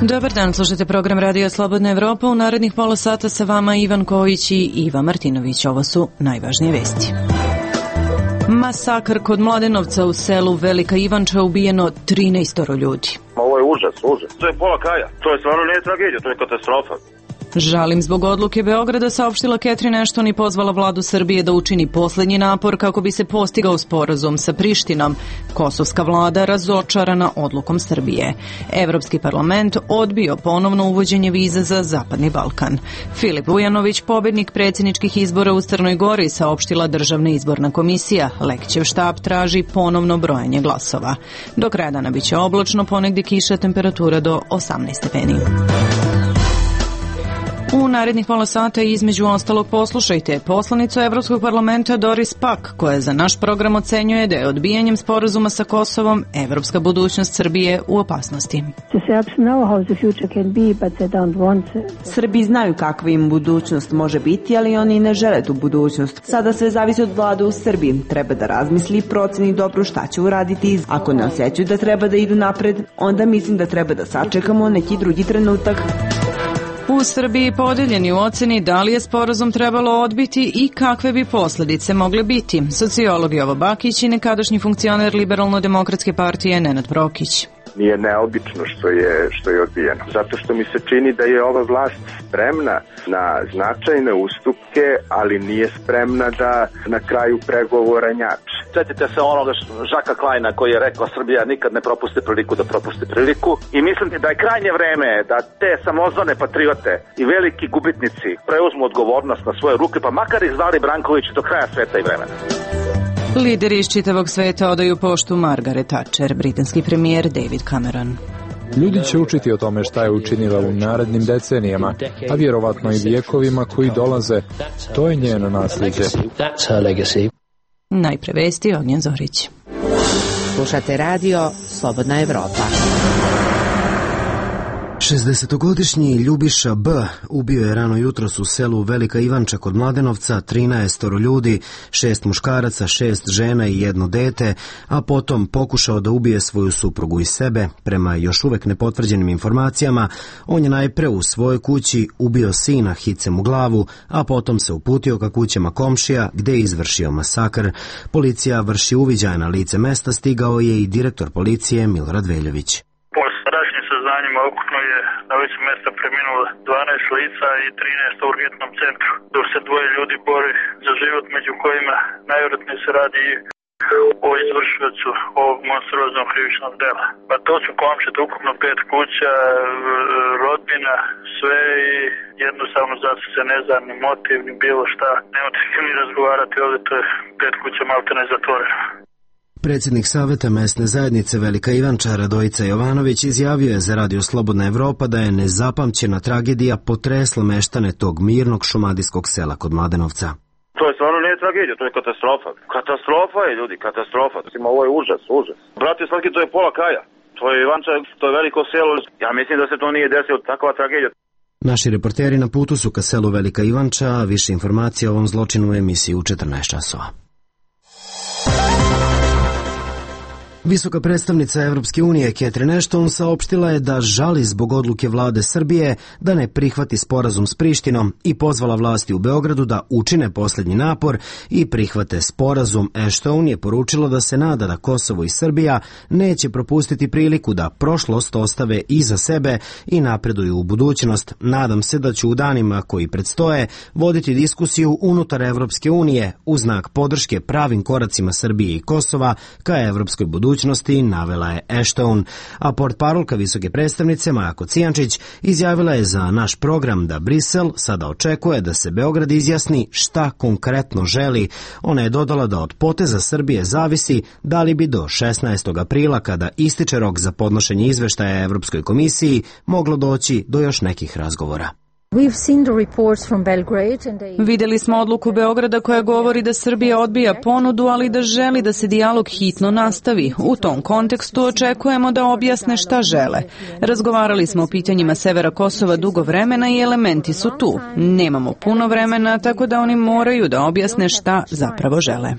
Dobar dan, slušate program Radio Slobodna Evropa. U narednih pola sata sa vama Ivan Kojić i Iva Martinović. Ovo su najvažnije vesti. Masakr kod Mladenovca u selu Velika Ivanča, ubijeno 13 ljudi. Ovo je užas. To je pola kraja. To je stvarno nije tragedija, to je katastrofa. Žalim zbog odluke Beograda, saopštila Catherine Ashton i pozvala vladu Srbije da učini poslednji napor kako bi se postigao sporazum sa Prištinom. Kosovska vlada razočarana odlukom Srbije. Evropski parlament odbio ponovno uvođenje viza za Zapadni Balkan. Filip Vujanović, pobednik predsjedničkih izbora u Crnoj Gori, saopštila Državna izborna komisija. Lekićev štab traži ponovno brojanje glasova. Do kraja dana biće oblačno, ponegdje kiša, temperatura do 18 stepeni. U narednih pola sata između ostalog poslušajte poslanicu Evropskog parlamenta Doris Pack, koja za naš program ocenjuje da je odbijanjem sporazuma sa Kosovom evropska budućnost Srbije u opasnosti. Srbi znaju kakva im budućnost može biti, ali oni ne žele tu budućnost. Sada sve zavisi od vlade u Srbiji. Treba da razmisli i proceni dobro šta će uraditi. Ako ne osjećaju da treba da idu napred, onda mislim da treba da sačekamo neki drugi trenutak. U Srbiji podeljeni u oceni da li je sporazum trebalo odbiti i kakve bi posljedice mogle biti. Sociolog Jovo Bakić i nekadašnji funkcioner Liberalno-demokratske partije Nenad Prokić. Nije neobično što je odbijeno. Zato što mi se čini da je ova vlast spremna na značajne ustupke, ali nije spremna da na kraju pregovora njače. Sjetite se onoga Žaka Klajna koji je rekao Srbija nikad ne propusti priliku da propusti priliku. I mislim da je krajnje vreme da te samozvane patriote i veliki gubitnici preuzmu odgovornost na svoje ruke, pa makar i zvali Branković do kraja sveta i vremena. Lideri iz čitavog sveta odaju poštu Margaret Thatcher, britanski premijer David Cameron. Ljudi će učiti o tome šta je učinila u narednim decenijama, a vjerovatno i vijekovima koji dolaze. To je njeno nasljeđe. Najpre vesti, Ognjen Zorić. Slušate radio Slobodna Evropa. 60-godišnji Ljubiša B. ubio je rano jutros u selu Velika Ivanča kod Mladenovca 13 ljudi, 6 muškaraca, 6 žena i 1 dete, a potom pokušao da ubije svoju suprugu i sebe. Prema još uvek nepotvrđenim informacijama, on je najpre u svojoj kući ubio sina hicem u glavu, a potom se uputio ka kućama komšija gde je izvršio masakr. Policija vrši uviđaj na lice mesta, stigao je i direktor policije Milorad Veljović. Ukupno je na licu mesta preminulo 12 lica i 13 u urgentnom centru, dok se 2 ljudi bori za život, među kojima najvjerojatnije se radi o izvršiocu ovog monstruoznog krivičnog dela. Pa to su komšije, ukupno 5 kuća, rodbina, sve, i jednostavno zato se ne zna ni motiv, ni bilo šta. Nemate s kim ni razgovarati ovdje, to je 5 kuća maltene zatvoreno. Predsjednik Saveta mesne zajednice Velika Ivanča Radojica Jovanović izjavio je za Radio Slobodna Evropa da je nezapamćena tragedija potresla meštane tog mirnog šumadijskog sela kod Mladenovca. To je stvarno nije tragedija, to je katastrofa. Katastrofa je, ljudi, katastrofa. Ovo je užas. Brate, svaki, to je pola kraja. To je Ivanča, to je veliko selo. Ja mislim da se to nije desilo, takva tragedija. Naši reporteri na putu su ka selu Velika Ivanča, a više informacija o ovom zločinu u emisiji u 14 časova. Visoka predstavnica Evropske unije Catherine Ashton saopštila je da žali zbog odluke vlade Srbije da ne prihvati sporazum s Prištinom i pozvala vlasti u Beogradu da učine posljednji napor i prihvate sporazum. Ashton je poručila da se nada da Kosovo i Srbija neće propustiti priliku da prošlost ostave iza sebe i napreduju u budućnost. Nadam se da ću u danima koji predstoje voditi diskusiju unutar Evropske unije u znak podrške pravim koracima Srbije i Kosova ka evropskoj budućnosti, navela je Ashton, a portparolka visoke predstavnice Maja Kocijančić izjavila je za naš program da Brisel sada očekuje da se Beograd izjasni šta konkretno želi. Ona je dodala da od poteza Srbije zavisi da li bi do 16. aprila, kada ističe rok za podnošenje izveštaja Evropskoj komisiji, moglo doći do još nekih razgovora. Vidjeli smo odluku Beograda koja govori da Srbija odbija ponudu, ali da želi da se dijalog hitno nastavi. U tom kontekstu očekujemo da objasne šta žele. Razgovarali smo o pitanjima severa Kosova dugo vremena i elementi su tu. Nemamo puno vremena, tako da oni moraju da objasne šta zapravo žele.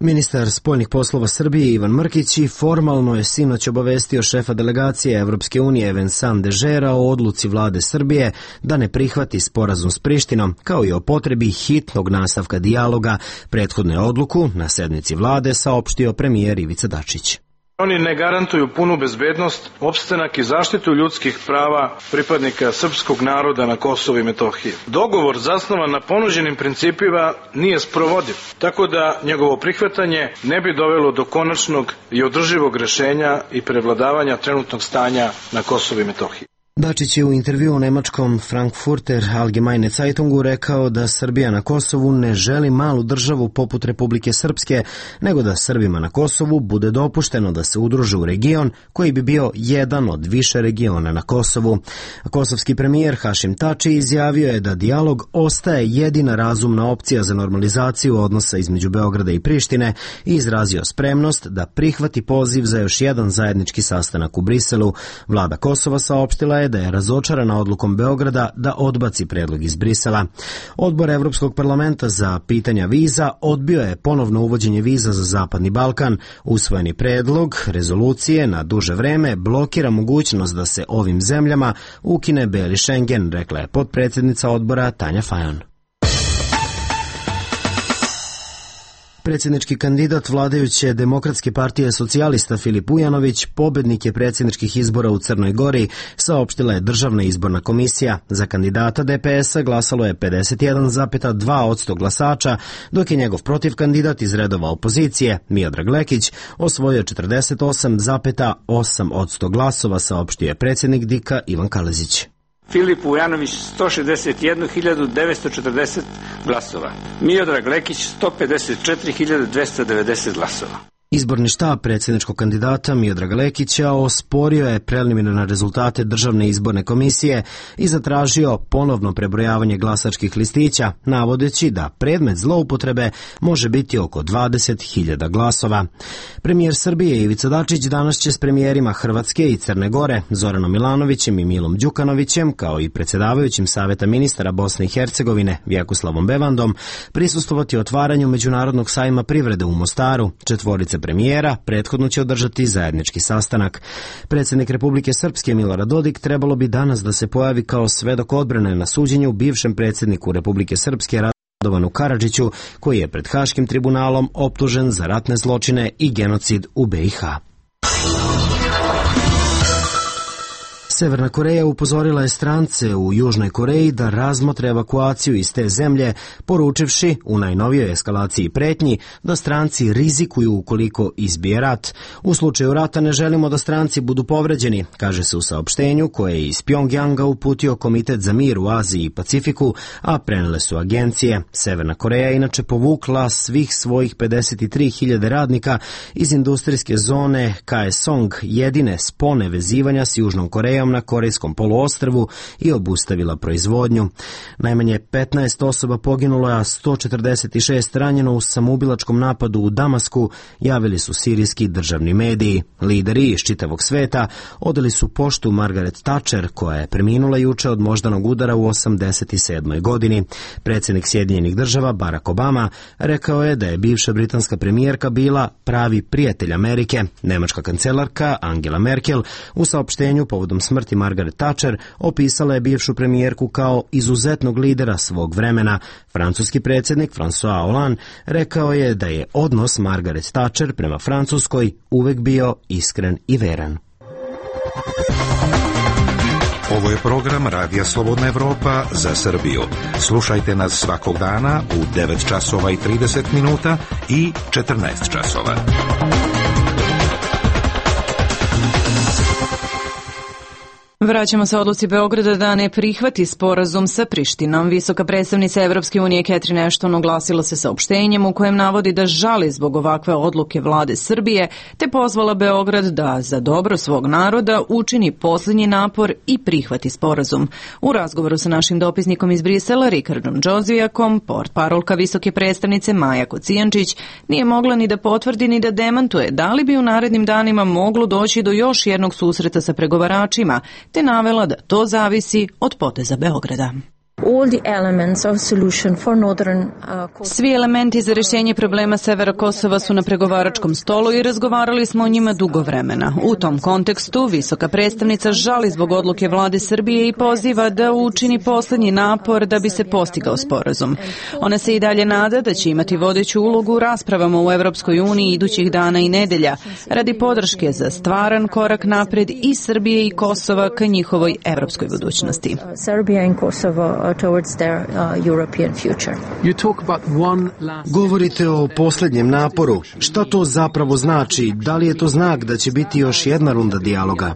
Ministar spoljnih poslova Srbije Ivan Mrkić formalno je sinoć obavestio šefa delegacije Evropske unije Vincent Dežera o odluci vlade Srbije da ne prihvati sporazum s Prištinom, kao i o potrebi hitnog nastavka dijaloga. Prethodnu je odluku na sednici vlade saopštio premijer Ivica Dačić. Oni ne garantuju punu bezbednost, opstanak i zaštitu ljudskih prava pripadnika srpskog naroda na Kosovu i Metohiji. Dogovor zasnovan na ponuđenim principima nije sprovodiv, tako da njegovo prihvatanje ne bi dovelo do konačnog i održivog rešenja i prevladavanja trenutnog stanja na Kosovu i Metohiji. Dačić je u intervju u nemačkom Frankfurter Allgemeine Zeitungu rekao da Srbija na Kosovu ne želi malu državu poput Republike Srpske, nego da Srbima na Kosovu bude dopušteno da se udruže u region koji bi bio jedan od više regiona na Kosovu. Kosovski premijer Hašim Tači izjavio je da dijalog ostaje jedina razumna opcija za normalizaciju odnosa između Beograda i Prištine i izrazio spremnost da prihvati poziv za još jedan zajednički sastanak u Briselu. Vlada Kosova saopštila je da je razočarana odlukom Beograda da odbaci predlog iz Brisela. Odbor Evropskog parlamenta za pitanja viza odbio je ponovno uvođenje viza za Zapadni Balkan. Usvojeni predlog rezolucije na duže vreme blokira mogućnost da se ovim zemljama ukine Beli Schengen, rekla je potpredsjednica odbora Tanja Fajon. Predsjednički kandidat vladajuće Demokratske partije socijalista Filip Ujanović pobednik je predsjedničkih izbora u Crnoj Gori, saopštila je Državna izborna komisija. Za kandidata DPS-a glasalo je 51,2% glasača, dok je njegov protivkandidat iz redova opozicije, Miodrag Lekić, osvojio 48,8% glasova, saopštio je predsjednik DIK-a Ivan Kalezić. Filip Ujanović 161.940 glasova. Miodrag Lekić 154.290 glasova. Izborni štab predsjedničkog kandidata Miodraga Lekića osporio je preliminarne rezultate Državne izborne komisije i zatražio ponovno prebrojavanje glasačkih listića, navodeći da predmet zloupotrebe može biti oko 20.000 glasova. Premijer Srbije Ivica Dačić danas će s premijerima Hrvatske i Crne Gore, Zoranom Milanovićem i Milom Đukanovićem, kao i predsjedavajućim Saveta ministara Bosne i Hercegovine Vjekoslavom Bevandom, prisustvovati otvaranju Međunarodnog sajma privrede u Mostaru. Četvorice premijera prethodno će održati zajednički sastanak. Predsjednik Republike Srpske Milorad Dodik trebalo bi danas da se pojavi kao svedok odbrane na suđenju bivšem predsjedniku Republike Srpske Radovanu Karadžiću, koji je pred Haškim tribunalom optužen za ratne zločine i genocid u BiH. Severna Koreja upozorila je strance u Južnoj Koreji da razmotre evakuaciju iz te zemlje, poručivši u najnovijoj eskalaciji pretnji da stranci rizikuju ukoliko izbije rat. U slučaju rata ne želimo da stranci budu povređeni, kaže se u saopštenju koje je iz Pjongjanga uputio Komitet za mir u Aziji i Pacifiku, a prenele su agencije. Severna Koreja je inače povukla svih svojih 53.000 radnika iz industrijske zone Kaesong, jedine spone vezivanja s Južnom Korejom na Korejskom poluostrvu, i obustavila proizvodnju. Najmanje 15 osoba poginulo, a 146 ranjeno u samoubilačkom napadu u Damasku, javili su sirijski državni mediji. Lideri iz čitavog sveta odali su poštu Margaret Thatcher, koja je preminula juče od moždanog udara u 87. godini. Predsjednik Sjedinjenih država Barack Obama rekao je da je bivša britanska premijerka bila pravi prijatelj Amerike. Nemačka kancelarka Angela Merkel u saopštenju povodom smrti Margaret Thatcher opisala je bivšu premijerku kao izuzetnog lidera svog vremena. Francuski predsjednik François Hollande rekao je da je odnos Margaret Thatcher prema Francuskoj uvek bio iskren i veran. Ovo je program Radija Slobodna Evropa za Srbiju. Slušajte nas svakog dana u 9 časova i 30 minuta i 14 časova. Vraćamo se odluci Beograda da ne prihvati sporazum sa Prištinom. Visoka predstavnica Evropske unije Catherine Ashton oglasila se saopštenjem u kojem navodi da žali zbog ovakve odluke vlade Srbije, te pozvala Beograd da za dobro svog naroda učini posljednji napor i prihvati sporazum. U razgovoru sa našim dopisnikom iz Brisela, Rikardom Džozvijakom, portparolka visoke predstavnice Maja Kocijančić nije mogla ni da potvrdi ni da demantuje da li bi u narednim danima moglo doći do još jednog susreta sa pregovaračima, te navela da to zavisi od poteza Beograda. Svi elementi za rješenje problema severa Kosova su na pregovaračkom stolu i razgovarali smo o njima dugo vremena. U tom kontekstu visoka predstavnica žali zbog odluke vlade Srbije i poziva da učini poslednji napor da bi se postigao sporazum. Ona se i dalje nada da će imati vodeću ulogu u raspravama u Evropskoj uniji idućih dana i nedelja radi podrške za stvaran korak napred i Srbije i Kosova ka njihovoj evropskoj budućnosti. Govorite o posljednjem naporu. Šta to zapravo znači? Da li je to znak da će biti još jedna runda dijaloga?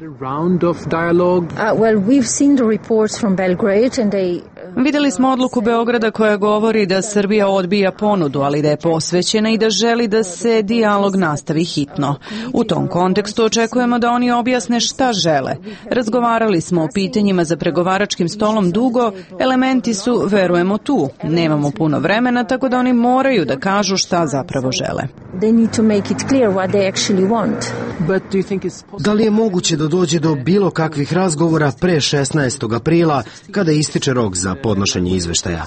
Vidjeli smo odluku Beograda koja govori da Srbija odbija ponudu, ali da je posvećena i da želi da se dijalog nastavi hitno. U tom kontekstu očekujemo da oni objasne šta žele. Razgovarali smo o pitanjima za pregovaračkim stolom dugo, elementi su, verujemo, tu. Nemamo puno vremena, tako da oni moraju da kažu šta zapravo žele. Da li je moguće da dođe do bilo kakvih razgovora pre 16. aprila kada ističe rok za podnošenje izveštaja?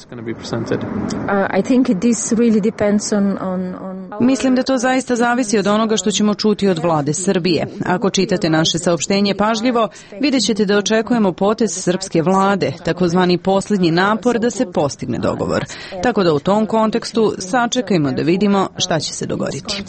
Mislim da to zaista zavisi od onoga što ćemo čuti od vlade Srbije. Ako čitate naše saopštenje pažljivo, vidjet ćete da očekujemo potez srpske vlade, takozvani posljednji napor da se postigne dogovor. Tako da u tom kontekstu sačekajmo da vidimo šta će se dogoditi.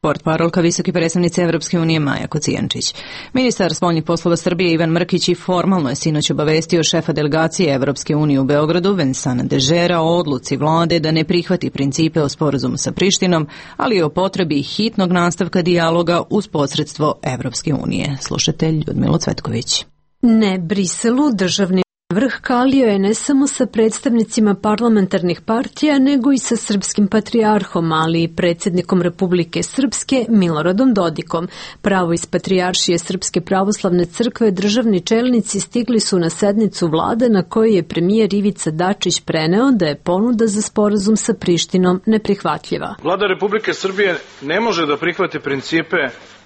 Portparolka visoke predstavnice Evropske unije Maja Kocijančić. Ministar spoljnih poslova Srbije Ivan Mrkić i formalno je sinoć obavestio šefa delegacije Evropske unije u Beogradu Vincenta Dežera o odluci vlade da ne prihvati principe o sporazumu sa Prištinom, ali i o potrebi hitnog nastavka dijaloga uz posredstvo Evropske unije. Slušatelj Ljudmila Cvetković. Ne Briselu, državni vrh kalio je ne samo sa predstavnicima parlamentarnih partija, nego i sa srpskim patrijarhom, ali i predsjednikom Republike Srpske Miloradom Dodikom. Pravo iz Patrijaršije Srpske pravoslavne crkve državni čelnici stigli su na sednicu vlade na kojoj je premijer Ivica Dačić preneo da je ponuda za sporazum sa Prištinom neprihvatljiva. Vlada Republike Srbije ne može da prihvati principe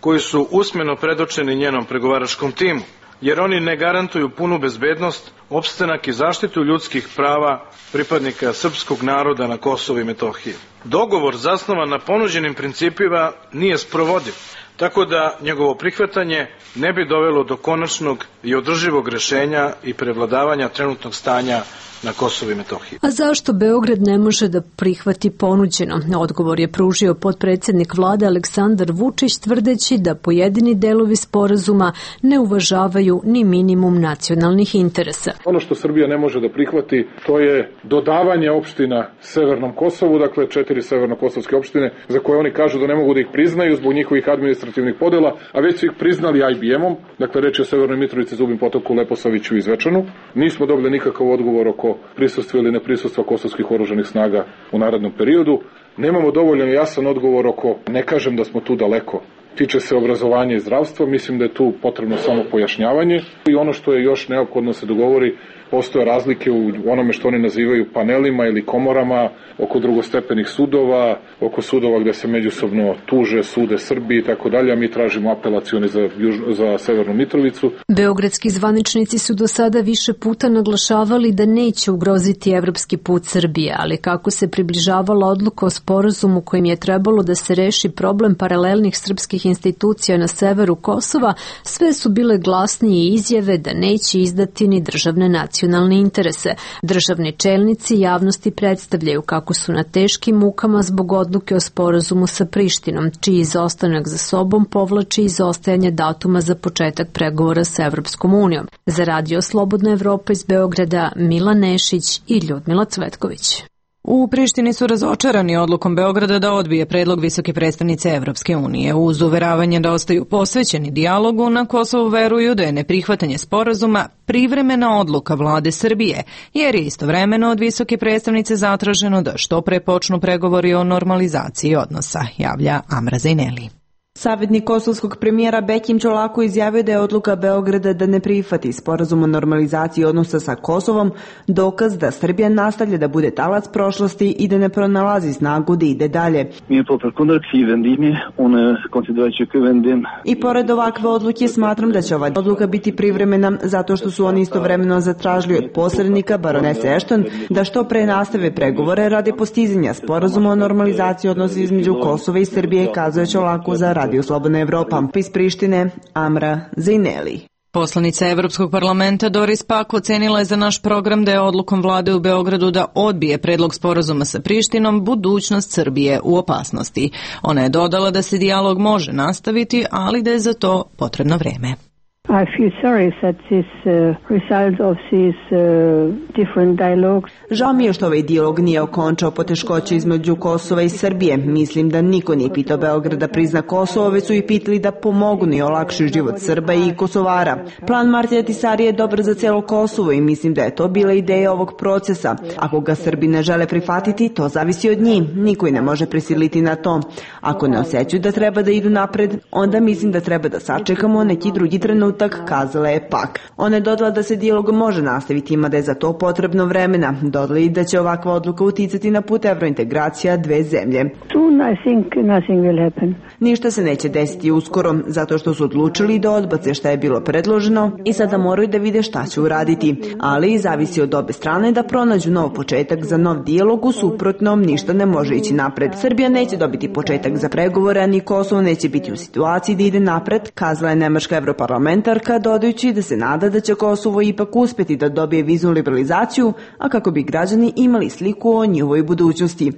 koji su usmeno predočeni njenom pregovaračkom timu, jer oni ne garantuju punu bezbednost, opstanak i zaštitu ljudskih prava pripadnika srpskog naroda na Kosovu i Metohiji. Dogovor zasnovan na ponuđenim principima nije sprovodiv, tako da njegovo prihvatanje ne bi dovelo do konačnog i održivog rešenja i prevladavanja trenutnog stanja na Kosovu i Metohiji. A zašto Beograd ne može da prihvati ponuđeno? Odgovor je pružio potpredsjednik vlade Aleksandar Vučić, tvrdeći da pojedini delovi sporazuma ne uvažavaju ni minimum nacionalnih interesa. Ono što Srbija ne može da prihvati, to je dodavanje opština Severnom Kosovu, dakle 4 severnokosovske opštine, za koje oni kažu da ne mogu da ih priznaju zbog njihovih administrativnih podela, a već su ih priznali IBM-om, dakle reč je o Severnoj Mitrovici, Zubim Potoku, Leposaviću i Zvečanu. Nismo dobili nikakav odgovor oko prisustva ili neprisustva kosovskih oružanih snaga u narednom periodu. Nemamo dovoljno jasan odgovor oko, ne kažem da smo tu daleko, tiče se obrazovanja i zdravstva, mislim da je tu potrebno samo pojašnjavanje i ono što je još neophodno se dogovori, postoje razlike u onome što oni nazivaju panelima ili komorama oko drugostepenih sudova, oko sudova gde se međusobno tuže, sude Srbiji i tako dalje, a mi tražimo apelacioni za Severnu Mitrovicu. Beogradski zvaničnici su do sada više puta naglašavali da neće ugroziti evropski put Srbije, ali kako se približavala odluka o sporazumu kojim je trebalo da se reši problem paralelnih srpskih institucija na severu Kosova, sve su bile glasnije izjave da neće izdati ni državne nacionalne interese. Državni čelnici javnosti predstavljaju kako su na teškim mukama zbog odluke o sporazumu sa Prištinom, čiji izostanak za sobom povlači izostajanje datuma za početak pregovora sa Evropskom unijom. Za Radio Slobodna Evropa iz Beograda, Mila Nešić i Ljudmila Cvetković. U Prištini su razočarani odlukom Beograda da odbije predlog visoke predstavnice Evropske unije. Uz uveravanje da ostaju posvećeni dijalogu, na Kosovu veruju da je neprihvatanje sporazuma privremena odluka vlade Srbije, jer je istovremeno od visoke predstavnice zatraženo da što pre počnu pregovori o normalizaciji odnosa, javlja Amra Zajneli. Savjetnik kosovskog premijera Bekim Čolako izjavio da je odluka Beograda da ne prihvati sporazum o normalizaciji odnosa sa Kosovom dokaz da Srbija nastavlja da bude talac prošlosti i da ne pronalazi snagu da ide dalje. I pored ovakve odluke smatram da će ova odluka biti privremena zato što su oni istovremeno zatražili od posrednika baronese Ashton da što pre nastave pregovore radi postizanja sporazuma o normalizaciji odnosa između Kosova i Srbije, kazuje Čolako za Radio Slobodna Evropa. Iz Prištine, Amra Zajneli. Poslanica Evropskog parlamenta Doris Pack ocenila je za naš program da je odlukom vlade u Beogradu da odbije predlog sporazuma sa Prištinom budućnost Srbije u opasnosti. Ona je dodala da se dijalog može nastaviti, ali da je za to potrebno vreme. I feel sorry that this result of these different dialogues. Žao mi je što ovaj dijalog nije okončao poteškoće između Kosova i Srbije. Mislim da niko nije pitao Beograd da prizna Kosovo, već su i pitali da pomognu i olakšaju život Srba i Kosovara. Plan Martija Tisarija je dobar za cijelo Kosovo i mislim da je to bila ideja ovog procesa. Ako ga Srbi ne žele prihvatiti, to zavisi od njih. Niko i ne može prisiliti na to. Ako ne osjećaju da treba da idu napred, onda mislim da treba da sačekamo neki drugi trenutak, kazala je Pak. Ona je dodala da se dijalog može nastaviti, ima da je za to potrebno vremena. Dodala i da će ovakva odluka uticati na put evrointegracija dve zemlje. Ništa se neće desiti uskoro, zato što su odlučili da odbace šta je bilo predloženo i sada moraju da vide šta će uraditi. Ali zavisi od obe strane da pronađu nov početak za nov dijalog, u suprotnom ništa ne može ići napred. Srbija neće dobiti početak za pregovore, a ni Kosovo neće biti u situaciji da ide napred, kazala je nemačka europarlamentarka, dodajući da se nada da će Kosovo ipak uspeti da dobije viznu liberalizaciju, a kako bi građani imali sliku o njihovoj budućnosti.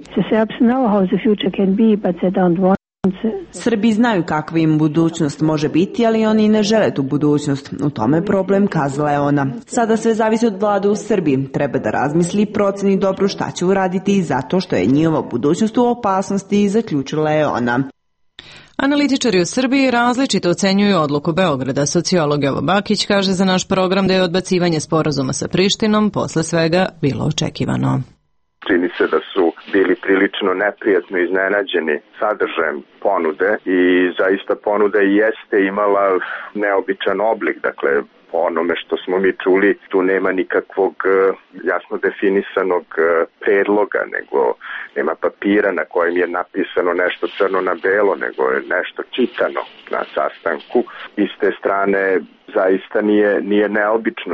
Srbi znaju kakva im budućnost može biti, ali oni ne žele tu budućnost. U tome problem, kazala je ona. Sada sve zavisi od vlade u Srbiji. Treba da razmisli i proceni dobro šta će uraditi zato što je njihova budućnost u opasnosti, zaključila je ona. Analitičari u Srbiji različito ocenjuju odluku Beograda. Sociolog Jovo Bakić kaže za naš program da je odbacivanje sporazuma sa Prištinom posle svega bilo očekivano. Čini se da su bili prilično neprijatno iznenađeni sadržajem ponude i zaista ponuda jeste imala neobičan oblik, dakle po onome što smo mi čuli, tu nema nikakvog jasno definisanog predloga, nego nema papira na kojem je napisano nešto crno na belo, nego je nešto čitano na sastanku. I s te strane zaista nije neobično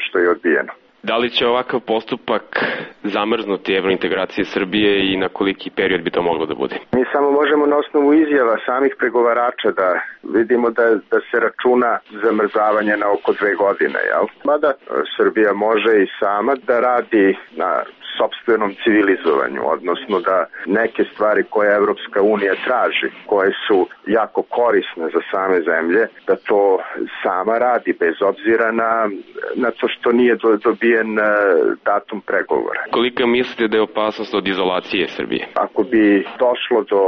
što je odbijeno. Da li će ovakav postupak zamrznuti evrointegracije Srbije i na koliki period bi to moglo da bude? Mi samo možemo na osnovu izjava samih pregovarača da vidimo da se računa zamrzavanje na oko 2 godine, jel? Mada Srbija može i sama da radi na sopstvenom civilizovanju, odnosno da neke stvari koje Evropska unija traži, koje su jako korisne za same zemlje, da to sama radi bez obzira na to što nije dobijen datum pregovora. Koliko mislite da je opasnost od izolacije Srbije? Ako bi došlo do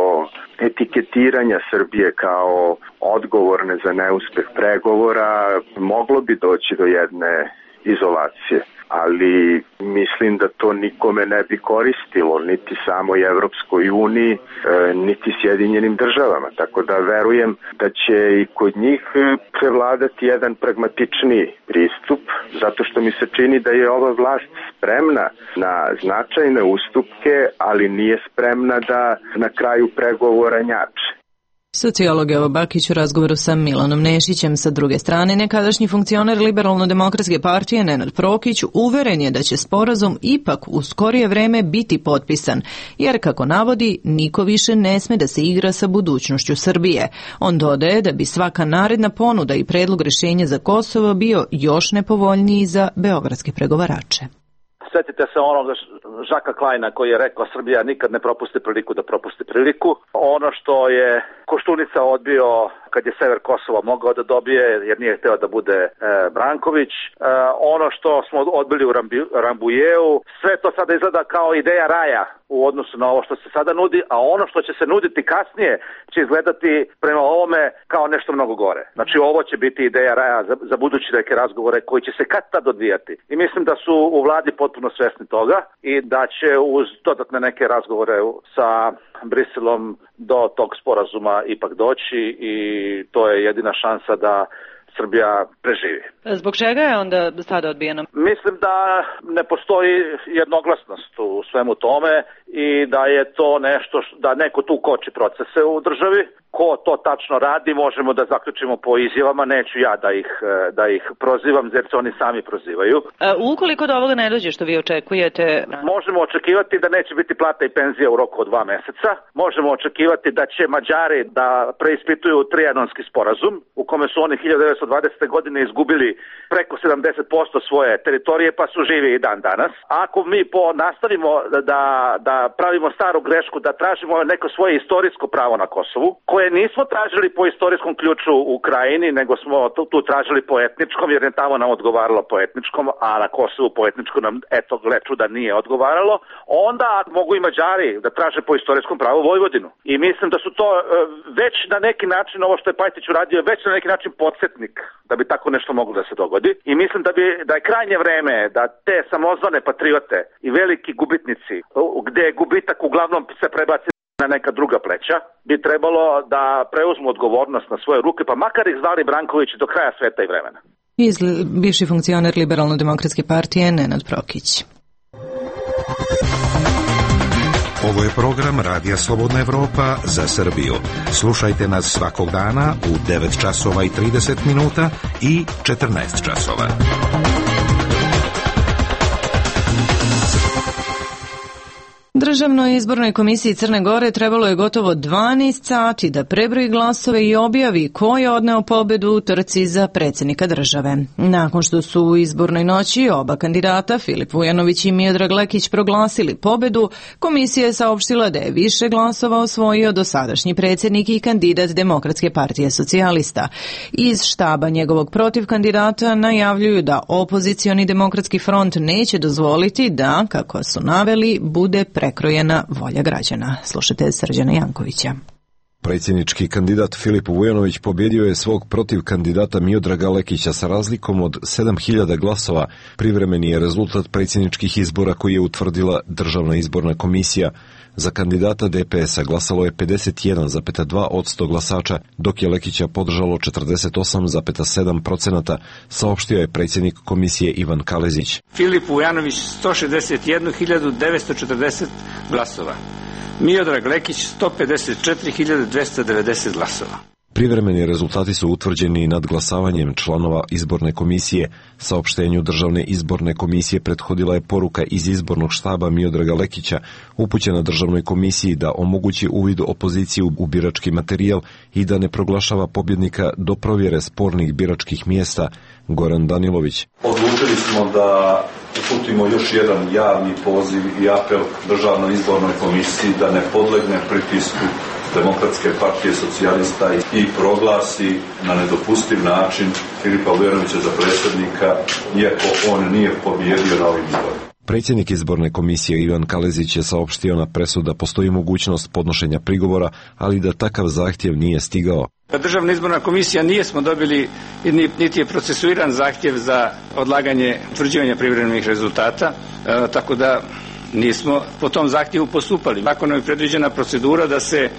etiketiranja Srbije kao odgovorne za neuspeh pregovora, moglo bi doći do jedne izolacije. Ali mislim da to nikome ne bi koristilo, niti samoj Evropskoj uniji, niti Sjedinjenim državama. Tako da verujem da će i kod njih prevladati jedan pragmatičniji pristup, zato što mi se čini da je ova vlast spremna na značajne ustupke, ali nije spremna da na kraju pregovora njače. Sociolog Jovo Bakić u razgovoru sa Milanom Nešićem. Sa druge strane, nekadašnji funkcioner Liberalno-demokratske partije Nenad Prokić uveren je da će sporazum ipak u skorije vreme biti potpisan, jer kako navodi, niko više ne sme da se igra sa budućnošću Srbije. On dodaje da bi svaka naredna ponuda i predlog rješenja za Kosovo bio još nepovoljniji za beogradske pregovarače. Sjetite se onog Žaka Klajna koji je rekao Srbija nikad ne propusti priliku da propusti priliku. Ono što je Koštunica odbio kad je sever Kosova mogao da dobije jer nije hteo da bude Branković. Ono što smo odbili u Rambujeu, sve to sada izgleda kao ideja raja u odnosu na ovo što se sada nudi, a ono što će se nuditi kasnije će izgledati prema ovome kao nešto mnogo gore. Znači ovo će biti ideja raja za budući neke razgovore koji će se kad tad odvijati. I mislim da su u vladi potpuno svesni toga i da će uz dodatne neke razgovore sa Briselom do tog sporazuma ipak doći i to je jedina šansa da Srbija preživi. Zbog čega je onda sada odbijeno? Mislim da ne postoji jednoglasnost u svemu tome i da je to nešto, da neko tu koči procese u državi. Ko to tačno radi, možemo da zaključimo po izjavama, neću ja da ih prozivam, jer se oni sami prozivaju. Ukoliko do ovoga ne dođe što vi očekujete? Možemo očekivati da neće biti plata i penzija u roku od 2 meseca. Možemo očekivati da će Mađari da preispituju trijanonski sporazum, u kome su oni 1920. godine izgubili preko 70% svoje teritorije, pa su živi i dan danas. Ako mi nastavimo da pravimo staru grešku, da tražimo neko svoje istorijsko pravo na Kosovu, koje nismo tražili po istorijskom ključu u Krajini, nego smo tu tražili po etničkom, jer je tamo nam odgovaralo po etničkom, a na Kosovu po etničkom nam, eto, gle čuda, nije odgovaralo, onda mogu i Mađari da traže po istorijskom pravu Vojvodinu. I mislim da su to već na neki način, ovo što je Pajtić uradio, već na neki način podsjetnik da bi tako nešto moglo da se dogodi. I mislim da je krajnje vreme da te samozvane patriote i veliki gubitnici, gde je gubitak uglavnom se prebaci na neka druga pleća, bi trebalo da preuzmu odgovornost na svoje ruke, pa makar ih zvali Branković do kraja sveta i vremena. Bivši funkcioner Liberalno-demokratske partije Nenad Prokić. Ovo je program Radija Slobodna Evropa za Srbiju. Slušajte nas svakog dana u 9 časova i 30 minuta i 14 časova. Državnoj izbornoj komisiji Crne Gore trebalo je gotovo 12 sati da prebroji glasove i objavi ko je odneo pobedu u trci za predsjednika države. Nakon što su u izbornoj noći oba kandidata, Filip Vujanović i Miodrag Lekić, proglasili pobedu, komisija je saopštila da je više glasova osvojio dosadašnji predsjednik i kandidat Demokratske partije socijalista. Iz štaba njegovog protiv kandidata najavljuju da opozicioni Demokratski front neće dozvoliti da, kako su naveli, bude prekrojena volja građana. Slušajte Srđana Jankovića. Predsjednički kandidat Filip Vujanović pobjedio je svog protiv kandidata Miodraga Lekića sa razlikom od 7000 glasova. Privremeni je rezultat predsjedničkih izbora koji je utvrdila Državna izborna komisija. Za kandidata DPS-a glasalo je 51,2% glasača, dok je Lekića podržalo 48,7%, saopštio je predsjednik komisije Ivan Kalezić. Filip Vujanović 161.940 glasova. Miodrag Lekić 154.290 glasova. Privremeni rezultati su utvrđeni nadglasavanjem članova izborne komisije. Saopštenju Državne izborne komisije prethodila je poruka iz izbornog štaba Miodraga Lekića, upućena Državnoj komisiji da omogući uvid opoziciji u birački materijal i da ne proglašava pobjednika do provjere spornih biračkih mjesta. Goran Danilović. Odlučili smo da uputimo još jedan javni poziv i apel Državnoj izbornoj komisiji da ne podlegne pritisku Demokratske partije socijalista i proglasi na nedopustiv način Filipa Vujanovića za predsjednika, iako on nije pobjedio na ovim izborima. Predsjednik izborne komisije Ivan Kalezić je saopštio na presu da postoji mogućnost podnošenja prigovora, ali da takav zahtjev nije stigao. Državna izborna komisija nismo dobili, niti je procesuiran zahtjev za odlaganje utvrđivanja privremenih rezultata, tako da nismo po tom zahtjevu postupali. Zakonom je predviđena procedura da se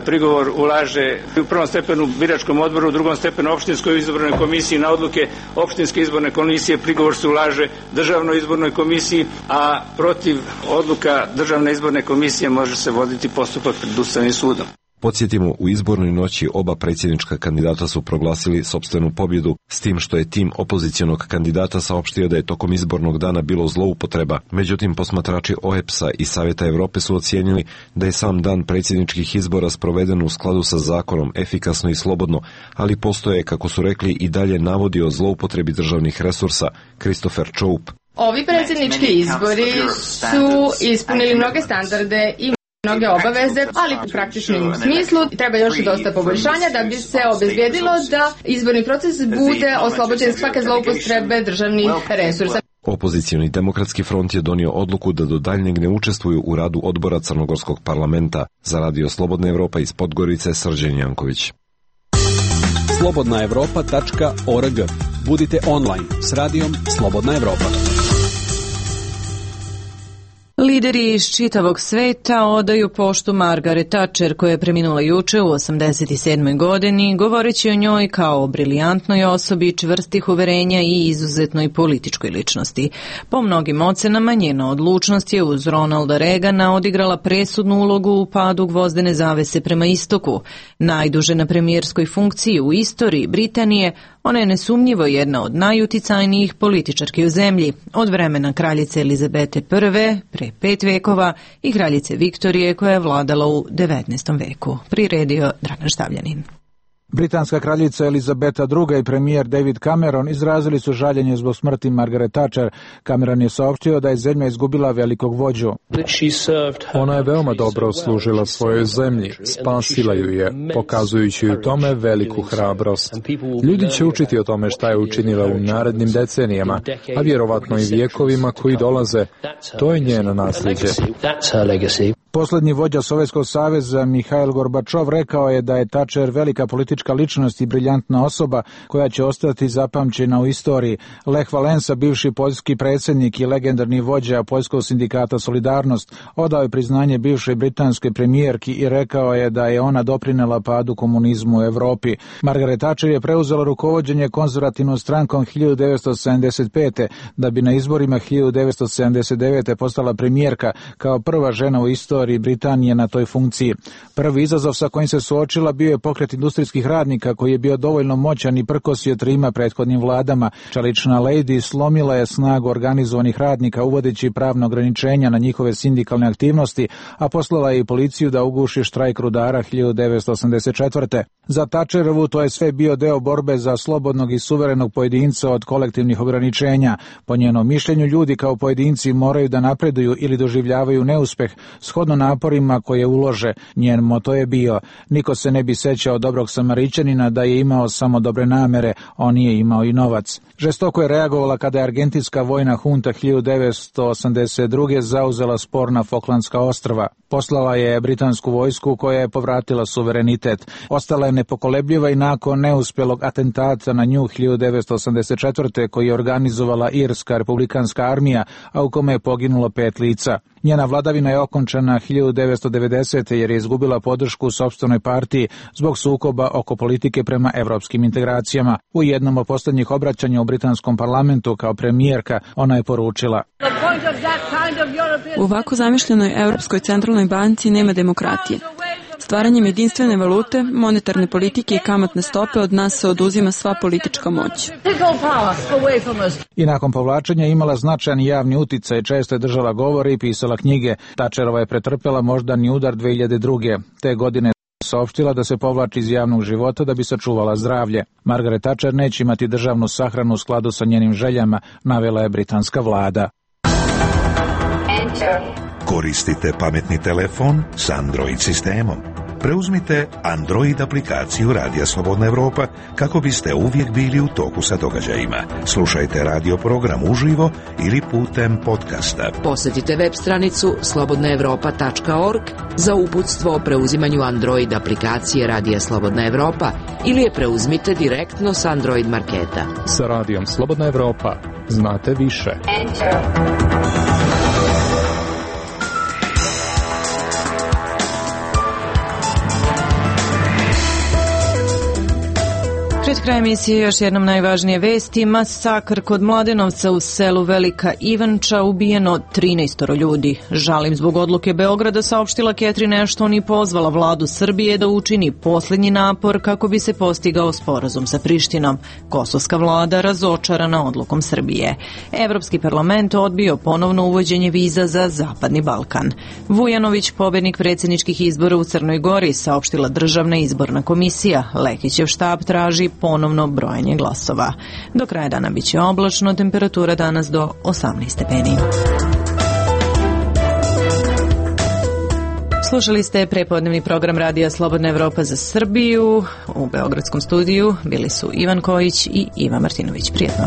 prigovor ulaže u prvom stepenu biračkom odboru, u drugom stepenu opštinskoj izbornoj komisiji, na odluke opštinske izborne komisije prigovor se ulaže Državnoj izbornoj komisiji, a protiv odluka Državne izborne komisije može se voditi postupak pred Ustavnim sudom. Podsjetimo, u izbornoj noći oba predsjednička kandidata su proglasili sopstvenu pobjedu, s tim što je tim opozicionog kandidata saopštio da je tokom izbornog dana bilo zloupotreba. Međutim, posmatrači OEBS-a i Savjeta Evrope su ocijenili da je sam dan predsjedničkih izbora sproveden u skladu sa zakonom, efikasno i slobodno, ali postoje, kako su rekli, i dalje navodi o zloupotrebi državnih resursa. Christopher Choup. Ovi predsjednički izbori su ispunili mnoge standarde i mnoge obaveze, ali u praktičnom smislu treba još dosta poboljšanja da bi se obezbijedilo da izborni proces bude oslobođen svake zloupotrebe državnih resursa. Opozicioni Demokratski front je donio odluku da do daljnjeg ne učestvuju u radu odbora Crnogorskog parlamenta. Za Radio Slobodna Evropa iz Podgorice, Srđan Janković. slobodnaevropa.org. Budite online s radijom Slobodna Evropa. Lideri iz čitavog sveta odaju poštu Margaret Thatcher, koja je preminula juče u 87. godini, govoreći o njoj kao o briljantnoj osobi, čvrstih uverenja i izuzetnoj političkoj ličnosti. Po mnogim ocenama, njena odlučnost je uz Ronalda Reagana odigrala presudnu ulogu u padu gvozdene zavese prema istoku. Najduže na premijerskoj funkciji u istoriji Britanije, ona je nesumnjivo jedna od najuticajnijih političarki u zemlji, od vremena kraljice Elizabete I pre 5 vekova i kraljice Viktorije koja je vladala u 19. veku. Priredio Dragan Štavljanin. Britanska kraljica Elizabeta II i premijer David Cameron izrazili su žaljenje zbog smrti Margaret Thatcher. Cameron je saopštio da je zemlja izgubila velikog vođu. Ona je veoma dobro služila svojoj zemlji, spasila ju je, pokazujući u tome veliku hrabrost. Ljudi će učiti o tome šta je učinila u narednim decenijama, a vjerovatno i vijekovima koji dolaze. To je njeno nasljeđe. Poslednji vođa Sovjetskog saveza Mihail Gorbačov rekao je da je Thatcher velika politička ličnost i briljantna osoba koja će ostati zapamćena u istoriji. Lech Valensa, bivši poljski predsjednik i legendarni vođa Poljskog sindikata Solidarnost, odao je priznanje bivšoj britanske premijerki i rekao je da je ona doprinela padu komunizmu u Evropi. Margaret Thatcher je preuzela rukovođenje konzervativnom strankom 1975. da bi na izborima 1979. postala premijerka kao prva žena u istoriji Britanije na toj funkciji. Prvi izazov sa kojim se suočila bio je pokret industrijskih radnika koji je bio dovoljno moćan i prkosio trima prethodnim vladama. Čelična lady slomila je snagu organizovanih radnika uvodeći pravno ograničenja na njihove sindikalne aktivnosti, a poslala je i policiju da uguši štrajk rudara 1984. Za Thatcherovu to je sve bio deo borbe za slobodnog i suverenog pojedinca od kolektivnih ograničenja. Po njenom mišljenju, ljudi kao pojedinci moraju da napreduju ili doživljavaju neuspeh shodno naporima koje ulože. Njen moto je bio: niko se ne bi sećao dobrog Samarićanina da je imao samo dobre namere, on je imao i novac. Žestoko je reagovala kada je argentinska vojna hunta 1982. zauzela sporna Falklandska ostrva. Poslala je britansku vojsku koja je povratila suverenitet. Ostala je nepokolebljiva i nakon neuspjelog atentata na nju 1984. koji je organizovala Irska republikanska armija, a u kome je poginulo 5 lica. Njena vladavina je okončana 1990. jer je izgubila podršku u sopstvenoj partiji zbog sukoba oko politike prema evropskim integracijama. U jednom od posljednjih obraćanja u britanskom parlamentu kao premijerka ona je poručila: u ovako zamišljenoj Evropskoj centralnoj banci nema demokratije. Stvaranjem jedinstvene valute, monetarne politike i kamatne stope od nas se oduzima sva politička moć. I nakon povlačenja imala značajan javni uticaj, često je držala govore i pisala knjige. Thatcherova je pretrpela moždani udar 2002. Te godine saopštila da se povlači iz javnog života da bi sačuvala zdravlje. Margaret Thatcher neće imati državnu sahranu u skladu sa njenim željama, navela je britanska vlada. Koristite pametni telefon s Android sistemom. Preuzmite Android aplikaciju Radija Slobodna Evropa kako biste uvijek bili u toku sa događajima. Slušajte radio program uživo ili putem podcasta. Posjetite web stranicu slobodnaevropa.org za uputstvo o preuzimanju Android aplikacije Radija Slobodna Evropa ili je preuzmite direktno s Android marketa. Sa Radijom Slobodna Evropa znate više. Pred kraj emisije još jednom najvažnije vesti. Masakr kod Mladenovca u selu Velika Ivanča, ubijeno 13 ljudi. Žalim zbog odluke Beograda, saopštila Catherine Ashton i pozvala vladu Srbije da učini posljednji napor kako bi se postigao sporazum sa Prištinom. Kosovska vlada razočarana odlukom Srbije. Evropski parlament odbio ponovno uvođenje viza za Zapadni Balkan. Vujanović, pobednik predsjedničkih izbora u Crnoj Gori, saopštila Državna izborna komisija. Lekićev štab traži ponovno brojanje glasova. Do kraja dana biće oblačno, temperatura danas do 18 stepeni. Slušali ste prepodnevni program Radija Slobodna Evropa za Srbiju. U beogradskom studiju bili su Ivan Kojić i Iva Martinović. Prijetno.